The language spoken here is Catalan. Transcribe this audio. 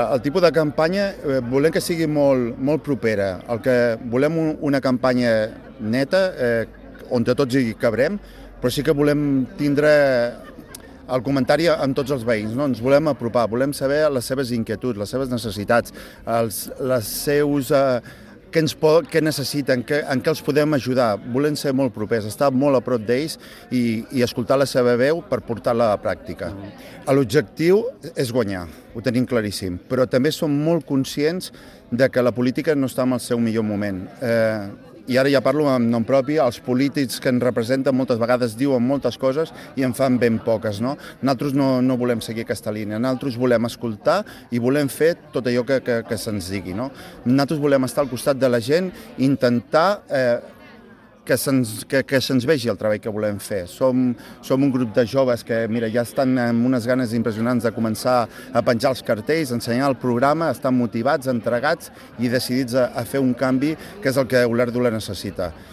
El tipus de campanya volem que sigui molt propera. El que volem una campanya neta, on tots hi cabrem, però sí que volem tindre el comentari amb tots els veïns, no? Ens volem apropar, volem saber les seves inquietuds, les seves necessitats, les seus... què necessiten, en què els podem ajudar. Volem ser molt propers, estar molt a prop d'ells i escoltar la seva veu per portar-la a la pràctica. L'objectiu és guanyar, ho tenim claríssim, però també som molt conscients de que la política no està en el seu millor moment. I ara ja parlo en nom propi, els polítics que ens representen moltes vegades diuen moltes coses i en fan ben poques, no? Nosaltres no volem seguir aquesta línia, nosaltres volem escoltar i volem fer tot allò que se'ns digui, no? Nosaltres volem estar al costat de la gent i intentar que se'ns vegi el treball que volem fer. Som un grup de joves que, mira, ja estan amb unes ganes impressionants de començar a penjar els cartells, ensenyar el programa, estan motivats, entregats i decidits a fer un canvi que és el que Olèrdola necessita.